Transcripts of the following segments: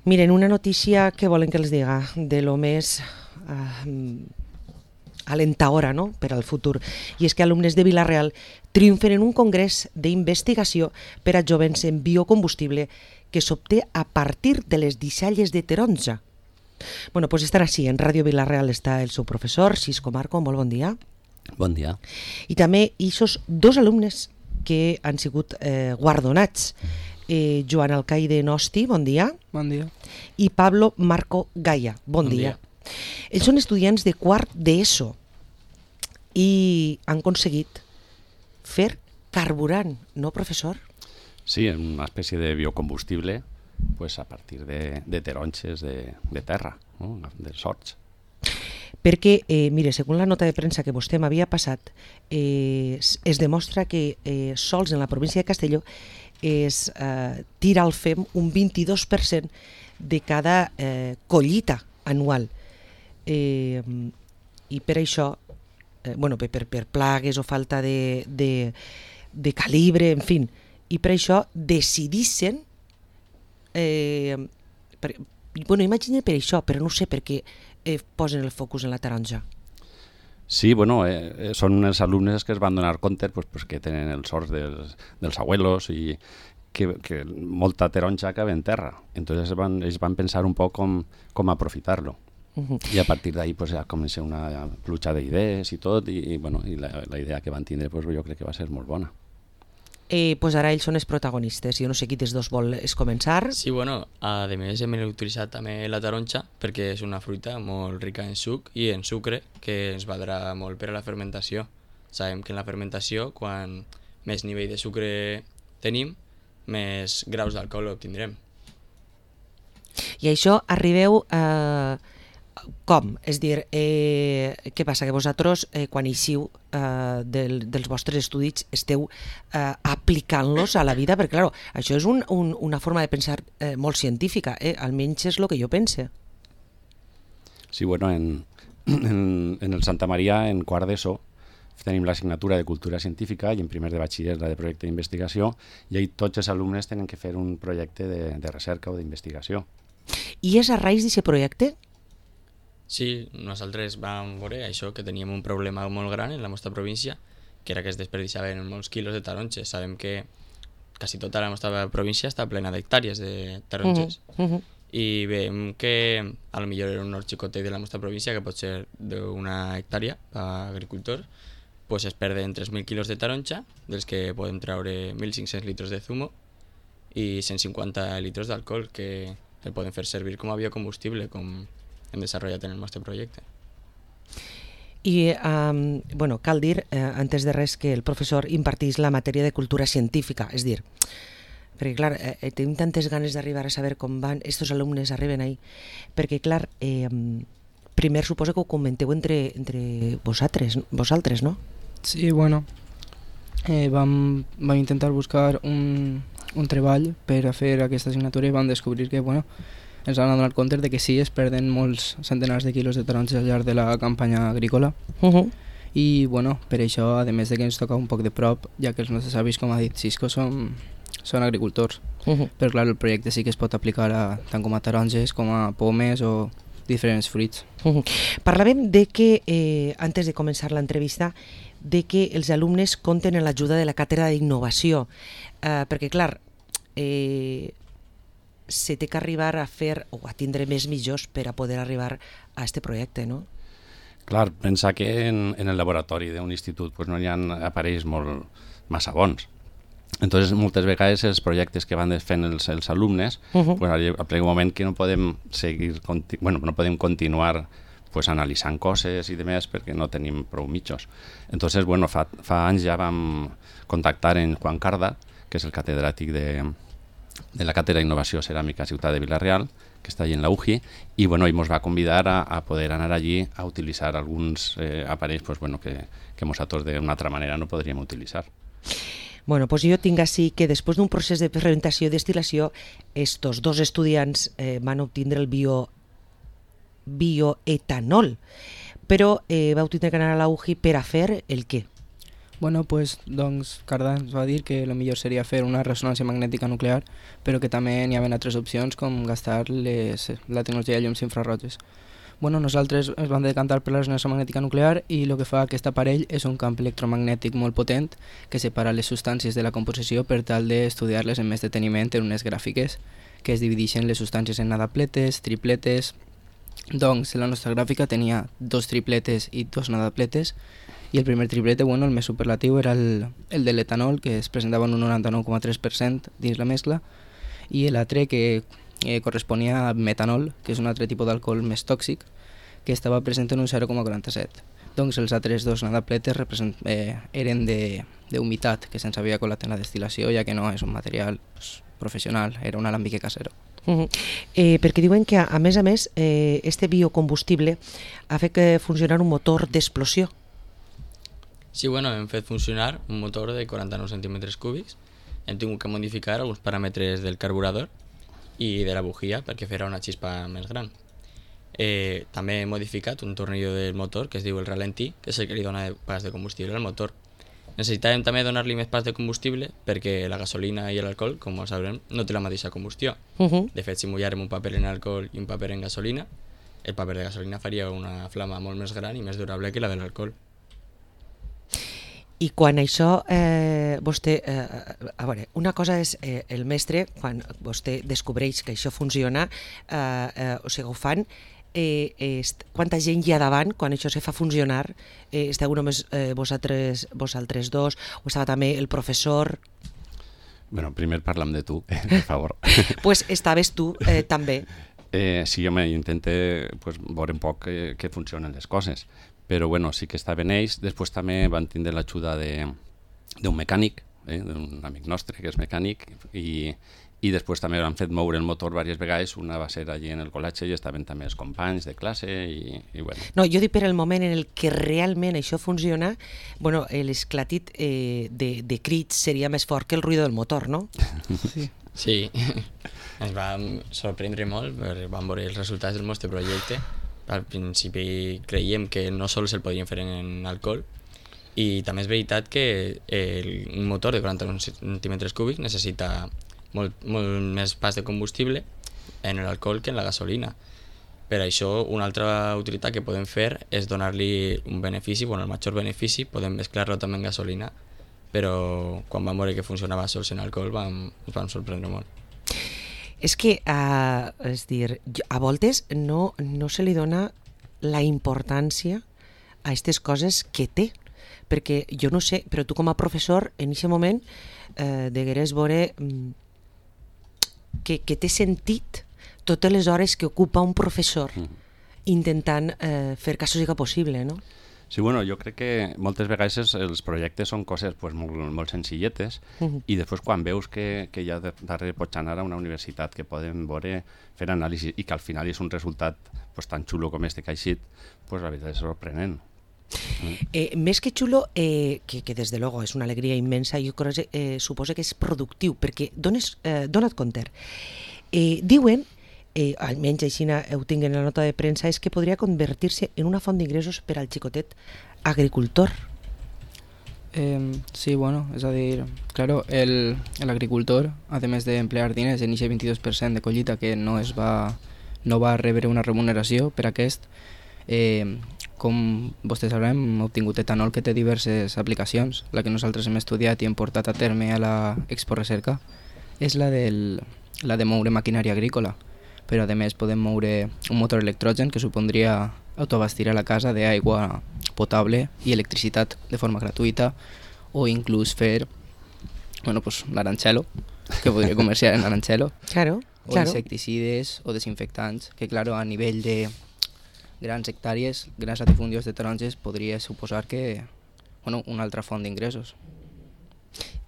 Miren, una notícia que volen que els diga, de lo més alentadora, no?, per al futur, i és que alumnes de Vila-real triomfen en un congrés d'investigació per a jovens en biocombustible que s'obté a partir de les deixalles de taronja. Bueno, pues estan així, en Ràdio Vila-real està el seu professor, Xisco Marco, molt bon dia. Bon dia. I també ixos dos alumnes que han sigut guardonats, Joan Alcaide Nosti, bon dia. Bon dia. I Pablo Marco Gaia, bon dia. Ells són estudiants de quart d'ESO i han aconseguit fer carburant, no, professor? Sí, una espècie de biocombustible pues, a partir de taronges de terra, no? Dels horts. Perquè, mire, segons la nota de premsa que vostè m'havia passat, es demostra que sols en la província de Castelló es tira al FEM un 22% de cada collita anual. I per això, bueno, per plagues o falta de calibre, en fi, i per això decidissin, bueno, imagina per això, però no sé per què posen el focus en la taronja. Sí, bueno, són els alumnes que es van donar compte pues, que tenen els horts dels abuelos i que molta taronja acaba en terra. Entonces ells van pensar un poc com aprofitar-lo. I a partir d'ahí pues, ja comença una pluja d'idees i tot, i la idea que van tindre pues, jo crec que va ser molt bona. Pues ara ells són els protagonistes. Jo no sé qui dels dos vol començar. Sí, bueno, a més hem utilitzat també la taronja perquè és una fruita molt rica en suc i en sucre que ens valdrà molt per a la fermentació. Sabem que en la fermentació, quan més nivell de sucre tenim, més graus d'alcohol obtindrem. I això arribeu com? És dir, què passa? Que vosaltres, quan eixiu dels vostres estudis, esteu aplicant-los a la vida? Perquè, clar, això és una forma de pensar molt científica, almenys és el que jo pense. Sí, bueno, en el Santa Maria, en quart d'ESO, tenim l'assignatura de Cultura Científica i en primer de batxiller la de projecte d'investigació, i ahí tots els alumnes tenen que fer un projecte de recerca o d'investigació. I és a raïs d'aquest projecte? Sí, nosaltres vam veure això, que teníem un problema molt gran en la nostra província, que era que es desperdiciaven molts quilos de taronges. Sabem que quasi tota la nostra província està plena d'hectàrees de taronges. I veiem que a lo millor era un hort xicotet de la nostra província, que pot ser d'una hectàrea per agricultor, pues es perden 3.000 quilos de taronja, dels que podem treure 1.500 litres de zumo i 150 litres d'alcohol, que el podem fer servir com a biocombustible, com hem desenvolupat en el nostre projecte. I, bueno, cal dir, antes de res, que el professor impartís la matèria de cultura científica, és dir, perquè, clar, tenim tantes ganes d'arribar a saber com van estos alumnes arriben ahí, perquè, clar, primer suposo que ho comenteu entre vosaltres, no? Sí, bueno, vam intentar buscar un treball per a fer aquesta assignatura i vam descobrir que, bueno, ens han donat compte de que sí, es perden molts centenars de quilos de taronges al llarg de la campanya agrícola. I, bueno, per això, a més de que ens toca un poc de prop, ja que els nostres avis, com ha dit Xisco, són agricultors. Però, clar, el projecte sí que es pot aplicar tant com a taronges, com a pomes o diferents fruits. Parlàvem de que, antes de començar l'entrevista, de que els alumnes compten en l'ajuda de la càtedra d'innovació, perquè, clar, se té que arribar a fer o a tindre més mitjors per a poder arribar a aquest projecte, no? Clar, pensa que en el laboratori d'un institut pues, no hi ha aparells massa bons. Entonces, moltes vegades els projectes que van fent els alumnes, pues, arriba un moment que no podem no podem continuar pues, analitzant coses i demés perquè no tenim prou mitjos. Entonces, bueno, fa anys ja vam contactar en Juan Carda, que és el catedràtic de la Càtedra d'Innovació Ceràmica Ciutat de Vila-real, que està allí en la UGI, i bueno, ell ens va convidar a poder anar allí a utilitzar alguns aparells pues, bueno, que nosaltres d'una altra manera no podríem utilitzar. Bueno, pues jo tinc així que després d'un procés de fermentació i destil·lació, estos dos estudiants van obtindre el bioetanol, però vau tindre que anar a la UGI per a fer el què? Bueno, pues, doncs, Cardà ens va dir que el millor seria fer una ressonància magnètica nuclear, però que també n'hi havia altres opcions com gastar la tecnologia de llums infraroges. Bueno, nosaltres ens vam decantar per la ressonància magnètica nuclear i el que fa aquest aparell és un camp electromagnètic molt potent que separa les substàncies de la composició per tal d'estudiar-les amb més deteniment en unes gràfiques que es divideixen les substàncies en nadapletes, tripletes. Doncs la nostra gràfica tenia 2 tripletes i 2 nadapletes i el primer triplete, bueno, el més superlatiu era el de l'etanol, que es presentava en un 99,3% dins la mescla, i l'altre que corresponia a metanol, que és un altre tipus d'alcohol més tòxic, que estava present en un 0,47. Doncs els altres 2 nadapletes eren d'humitat, que se'ns havia colat en la destil·lació, ja que no és un material professional, era un alambique casero. Perquè diuen que, a més, este biocombustible ha fet funcionar un motor d'explosió. Sí, bueno, hem fet funcionar un motor de 49 centímetres cúbics, hem tingut que modificar alguns paràmetres del carburador i de la bujia perquè farà una xispa més gran. També he modificat un tornillo del motor que es diu el ralentí, que és el que li dona pas de combustible al motor. Necessitàvem també donar-li més pas de combustible perquè la gasolina i l'alcohol, com sabrem, no té la mateixa combustió. De fet, si mullàrem un paper en alcohol i un paper en gasolina, el paper de gasolina faria una flama molt més gran i més durable que la de l'alcohol. I quan això, vostè, a veure, una cosa és el mestre, quan vostè descobreix que això funciona, o sigui, ho fan, quanta gent hi ha davant quan això se fa funcionar? Esteu només vosaltres dos, o estava també el professor? Bueno, primer parlam de tu, per favor. Pues estaves tu també. Sí, home, intente veure un poc que funcionen les coses. Però bueno, sí que estaven ells. Després també van tindre l'ajuda d'un mecànic, d'un amic nostre que és mecànic, i després també han fet moure el motor diverses vegades. Una va ser allí en el col·legi i estaven també els companys de classe i bueno. No, jo dic per el moment en el que realment això funciona, bueno, l'esclatit de crits seria més fort que el ruïdo del motor, no? Sí, ens va sorprendre molt perquè vam veure els resultats del nostre projecte. Al principi creiem que no sols el podíem fer en alcohol i també és veritat que un motor de 41 centímetres cúbics necessita molt més pas de combustible en l'alcohol que en la gasolina. Per això, una altra utilitat que podem fer és donar-li un benefici, bueno, el major benefici, podem mesclar-lo també en gasolina, però quan vam veure que funcionava sols en alcohol ens vam sorprendre molt. És que, és dir, a voltes no se li dona la importància a aquestes coses que té, perquè jo no sé, però tu com a professor en aquest moment degueres veure que té sentit totes les hores que ocupa un professor intentant fer que això sigui possible, no? Sí, bueno, jo crec que moltes vegades els projectes són coses molt senzilletes i després quan veus que hi ha darrere pots anar a una universitat que poden veure, fer anàlisi i que al final és un resultat tan xulo com este que ha eixit, la veritat és sorprenent. Més que xulo, que des de luego és una alegria immensa, jo suposo que és productiu, perquè dona't compte. Diuen, almenys així ho tinc en la nota de premsa, és que podria convertir-se en una font d'ingressos per al xicotet agricultor. Sí, bueno, és a dir, claro, l'agricultor, a més d'emplear diners en aquest 22% de collita que no va rebre una remuneració per aquest, com vostès sabrem, hem obtingut etanol que té diverses aplicacions. La que nosaltres hem estudiat i hem portat a terme a la Expo Recerca és la de moure maquinària agrícola, però a més podem moure un motor electrogen que supondria autoabastir a la casa d'aigua potable i electricitat de forma gratuïta, o inclús fer l'aranxelo, que podria comerciar en aranxelo, o insecticides o desinfectants, que claro, a nivell de grans hectàrees, grans latifundions de taronges, podria suposar que una altra font d'ingressos.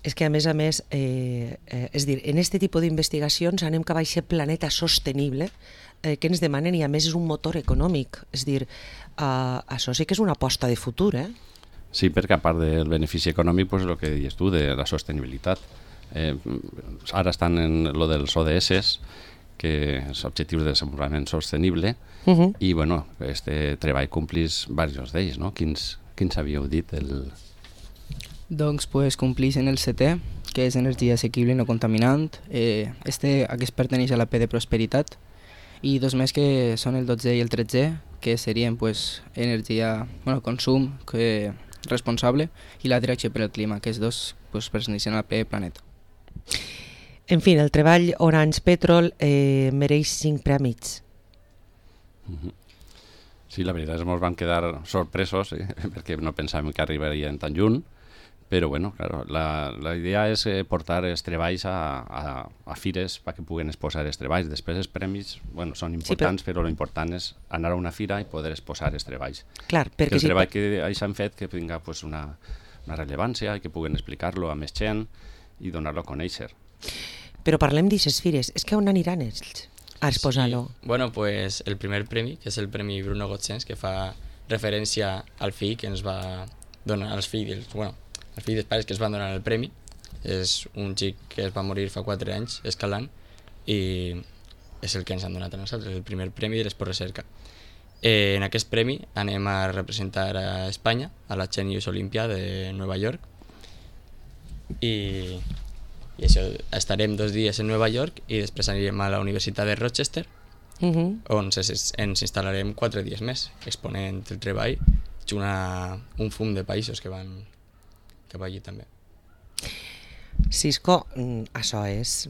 És que a més, és dir, en aquest tipus d'investigacions anem cap a aquest planeta sostenible que ens demanen i a més és un motor econòmic. És dir, això sí que és una aposta de futur, eh? Sí, perquè a part del benefici econòmic, el que dius tu, de la sostenibilitat. Ara estan en lo dels ODS, que és Objectius de Desenvolupament Sostenible, i bueno, este treball complís diversos d'ells, no? Quins havíeu dit? Doncs pues, complixen el 7è, que és energia assequible i no contaminant. Aquest perteneix a la P de prosperitat. I 2 més que són el 12è i el 13è, que serien pues, consum responsable, i la direcció per al clima, que és 2 pues, perteneixen a la P planeta. En fi, el treball Orange Petrol mereix 5 prèmits. Sí, la veritat és que ens vam quedar sorpresos, perquè no pensàvem que arribarien tan lluny, però bueno, claro, la idea és portar els treballs a fires perquè puguen exposar els treballs. Després els premis són importants, però l'important és anar a una fira i poder exposar els treballs. Clar, perquè el treball que s'han fet que tinga una rellevància i que puguen explicar-lo a més gent i donar-lo a conèixer. Però parlem d'aixes fires, és que on aniran ells a exposar-lo? Sí. Bueno, pues el primer premi, que és el premi Bruno Gotzens, que fa referència al fill que ens va donar, als fills dels pares que es van donar el premi. És un xic que es va morir fa 4 anys escalant i és el que ens han donat a nosaltres, el primer premi de l'Esport Recerca. En aquest premi anem a representar a Espanya a la Genius Olympia de Nova York i això, estarem 2 dies en Nova York i després anirem a la Universitat de Rochester on ens instal·larem 4 dies més exponent el treball junt a un fum de països que van cap allí també. Cisco, això és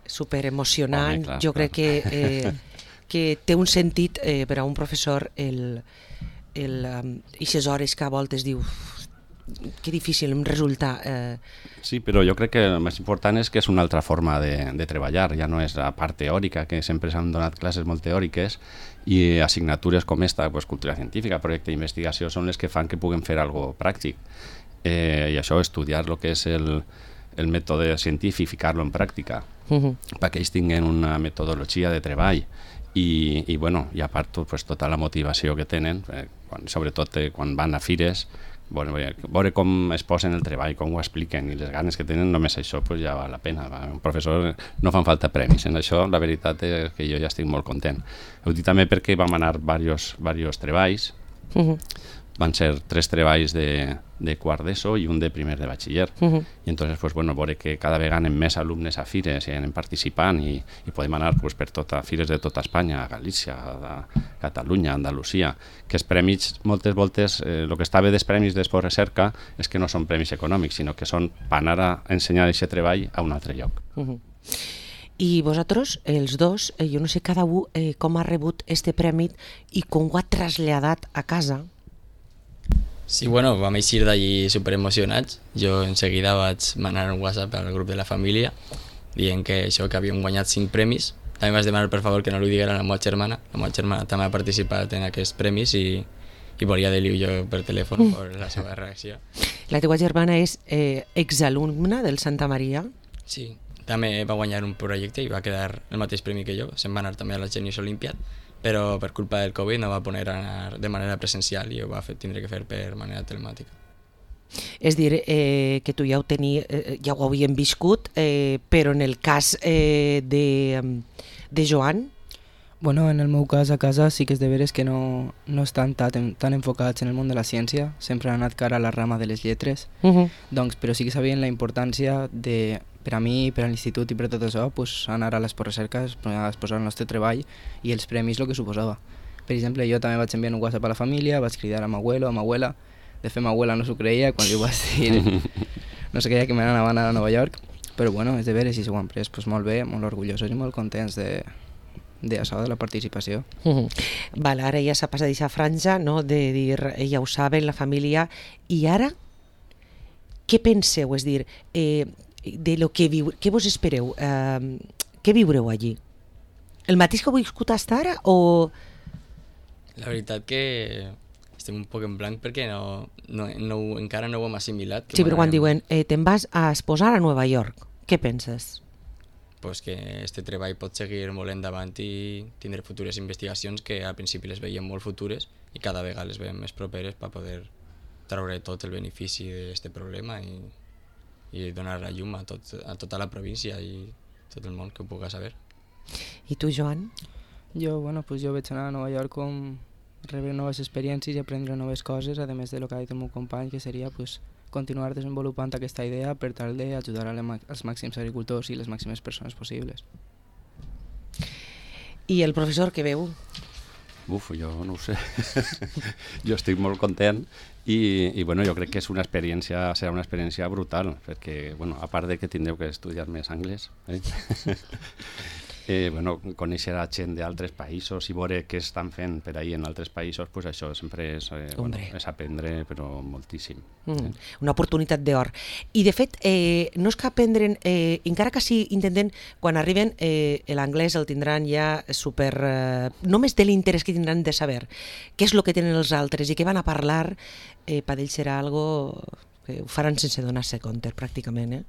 super emocionant. Jo crec que té un sentit per a un professor eixes hores que a voltes diu que difícil em resulta. Sí, però jo crec que el més important és que és una altra forma de treballar, ja no és la part teòrica, que sempre s'han donat classes molt teòriques, i assignatures com esta, cultura científica, projecte d'investigació, són les que fan que puguem fer alguna pràctic. I això, estudiar el que és el mètode científic, ficar-lo en pràctica, perquè ells tinguin una metodologia de treball i a part tota la motivació que tenen, sobretot quan van a fires, veure com es posen el treball, com ho expliquen i les ganes que tenen, només això ja val la pena. Un professor no fan falta premis, en això la veritat és que jo ja estic molt content. Ho dic també perquè vam anar diversos treballs, van ser 3 treballs de quart d'ESO i un de primer de batxiller. I entonces, veure que cada vegada anem més alumnes a fires i anem participant i podem anar per fires de tota Espanya, a Galícia, a Catalunya, a Andalusia, que els premis, moltes voltes, el que està bé dels premis d'Esport Recerca és que no són premis econòmics, sinó que són per anar a ensenyar aquest treball a un altre lloc. I vosaltres, els dos, jo no sé cada un com ha rebut este premi i com ho ha traslladat a casa. Sí, vam eixir d'allí superemocionats. Jo en seguida vaig manar un WhatsApp al grup de la família dient que havíem guanyat 5 premis. També vaig demanar per favor que no li diguera a la meva germana. La meva germana també ha participat en aquests premis i volia dir-li jo per telèfon per la seva reacció. La teva germana és exalumna del Santa Maria? Sí, també va guanyar un projecte i va quedar el mateix premi que jo. Se'n va anar també a la Genius Olympiad, però per culpa del Covid no va poder anar de manera presencial i ho va tindre que fer per manera telemàtica. És dir, que tu ja ho havíem viscut, però en el cas de Joan? En el meu cas, a casa sí que és de veres que no estan tan enfocats en el món de la ciència, sempre han anat cara a la rama de les lletres, però sí que sabien la importància de, per a mi, per a l'institut i per tot això, anar a l'Esport Recerca, a exposar el nostre treball i els premis el que suposava. Per exemple, jo també vaig enviar un WhatsApp a la família, vaig cridar a m'abuelo, a m'abuela. De fet, m'abuela no s'ho creia quan li ho vaig dir. No se creia que m'anaven a Nova York, però és de veres i s'ho han pres molt bé, molt orgullosos i molt contents d'això, de la participació. Ara ja s'ha passat aquesta franja, de dir, ja ho saben, la família, i ara què penseu? És dir, de lo que què vos espereu? Què viureu allí? El mateix que heu viscut fins ara o...? La veritat que estem un poc en blanc perquè encara no ho hem assimilat. Sí, però quan diuen te'n vas a exposar a Nova York, què penses? Pues que este treball pot seguir molt endavant i tindre futures investigacions que al principi les veiem molt futures i cada vegada les veiem més properes per poder treure tot el benefici d'aquest problema i donar la llum a tota la província i tot el món que ho puga saber. I tu, Joan? Jo vaig anar a Nova York com rebre noves experiències i aprendre noves coses, a més de lo que ha dit el meu company, que seria continuar desenvolupant aquesta idea per tal d'ajudar als màxims agricultors i les màximes persones possibles. I el professor què veu? Uf, jo no ho sé. Jo estic molt content i bueno, jo crec que és serà una experiència brutal, perquè, bueno, a part de que tindreu que estudiar més anglès, bueno, conèixer a gent d'altres països i veure què estan fent per ahir en altres països, pues això sempre és, bueno, és aprendre, però moltíssim. Una oportunitat d'or. I de fet, no és que aprendre'n, encara que sí intenten, quan arriben, l'anglès el tindran ja super... només de l'interès que tindran de saber què és el que tenen els altres i què van a parlar, per ells serà algo que ho faran sense donar-se compte, pràcticament.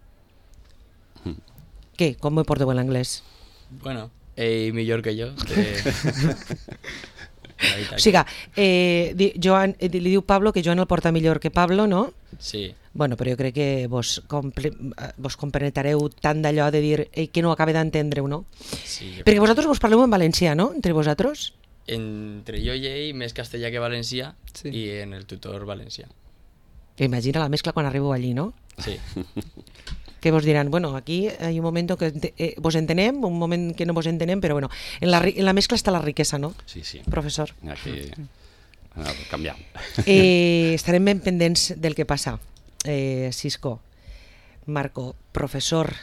Què? Com ho porteu l'anglès? Bueno, millor que jo. O sigui, Joan, li diu Pablo que Joan el porta millor que Pablo, no? Sí. Bueno, però jo crec que vos compenetrareu tant d'allò de dir que no acaba d'entendre-ho, no? Sí, perquè vosaltres vos parleu en valencià, no? Entre vosaltres? Entre jo i ell, més castellà que valencià, Sí. i en el tutor valencià. Imagina la mescla quan arribeu allí, no? Sí. Que vos diran, bueno, aquí hay un momento que vos entenem, un moment que no vos entenem, però bueno, en la mescla està la riquesa, no? Sí, sí. Professor. Aquí canviam. Estarem ben pendents del que passa. Cisco, Marco, professor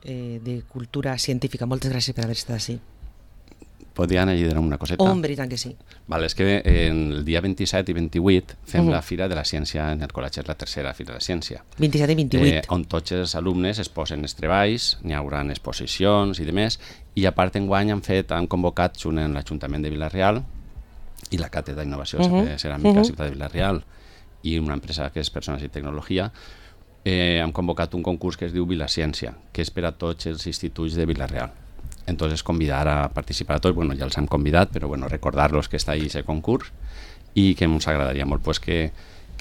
de cultura científica, moltes gràcies per haver estat així. Podien añadir una coseta? Hombre, i tant que sí. Vale, és que el dia 27 i 28 fem la Fira de la Ciència en el col·legi, és la tercera Fira de la Ciència. 27 i 28. On tots els alumnes es posen els treballs, n'hi haurà exposicions i demés, i a part enguany han convocat junt en l'Ajuntament de Vila-real i la Càtedra d'Innovació Ceràmica Ciutat de Vila-real i una empresa que és Persones i Tecnologia, han convocat un concurs que es diu Vilaciència, que és per a tots els instituts de Vila-real. Entonces convidar a participar a tots, bueno, ja els hem convidat, però bueno, recordar-los que està ahí ese concurs i que ens agradaria molt pues, que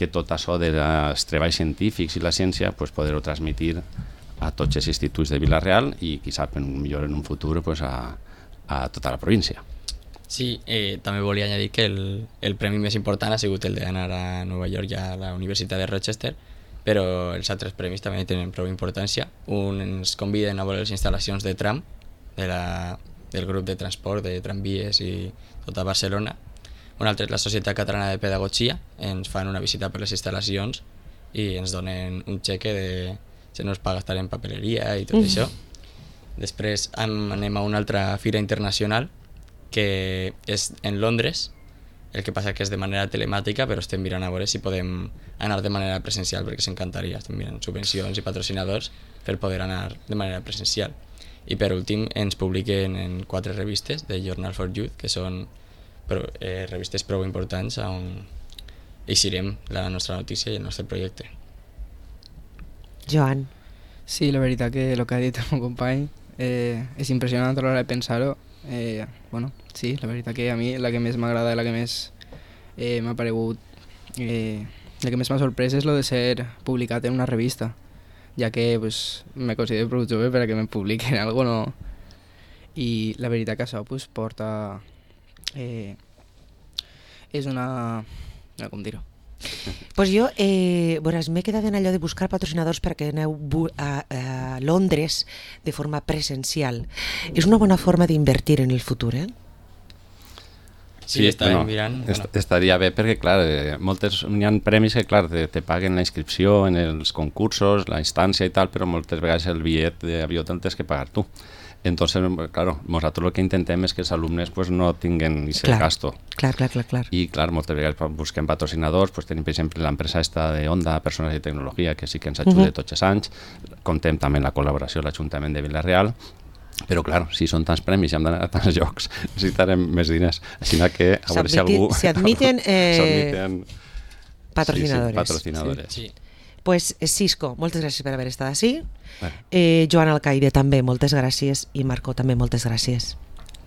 tot això dels treballs científics i la ciència pues, poder-ho transmitir a tots els instituts de Vila-real i qui sap, millor en un futur pues, a tota la província. Sí, també volia añadir que el premi més important ha sigut el d'anar a Nova York i a la Universitat de Rochester, però els altres premis també tenen prou importància. Un ens conviden a veure les instal·lacions de tram del grup de transport de tramvies i tota Barcelona. Un altre és la Societat Catalana de Pedagogia, ens fan una visita per les instal·lacions i ens donen un xeque de se nos paga estar en papeleria i tot això. Després anem a una altra fira internacional que és en Londres, el que passa que és de manera telemàtica, però estem mirant a veure si podem anar de manera presencial, perquè s'encantaria, estem mirant subvencions i patrocinadors per poder anar de manera presencial. I per últim ens publiquen en 4 revistes de Journal for Youth, que són revistes prou importants on eixirem la nostra notícia i el nostre projecte. Joan. Sí, la veritat que el que ha dit el meu company és impressionant a l'hora de pensar-ho. Bueno, sí, la veritat que a mi la que més m'agrada i la que més m'ha paregut, la que més m'ha sorprès és lo de ser publicat en una revista, ja que pues, me considero prou jove per a que me publiquen algo, no? I la veritat que això pues, porta... és una... no, com dir-ho? Pues jo, m'he quedat en allò de buscar patrocinadors perquè aneu a Londres de forma presencial. És una bona forma d'invertir en el futur, eh? Sí, estàvem mirant. Estaria bé perquè, clar, n'hi ha premis que, clar, te paguen la inscripció en els concursos, la instància i tal, però moltes vegades el bitllet d'avió te'l tens que pagar tu. Entonces, claro, nosaltres el que intentem és que els alumnes pues, no tinguin aquest gasto. Clar. I, clar, moltes vegades busquem patrocinadors, pues, tenim, per exemple, l'empresa esta de Onda, Persones i Tecnologia, que sí que ens ajuda tots els anys. Contem també amb la col·laboració de l'Ajuntament de Vila-real. Però, clar, si són tants premis i hem d'anar a tants llocs, necessitarem més diners. Així que, a veure si algú... S'admiten patrocinadores. Sí, patrocinadores. Sí. Pues Cisco, moltes gràcies per haver estat així. Joan Alcaide també, moltes gràcies. I Marco també, moltes gràcies.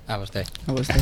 A vostè. A vostè.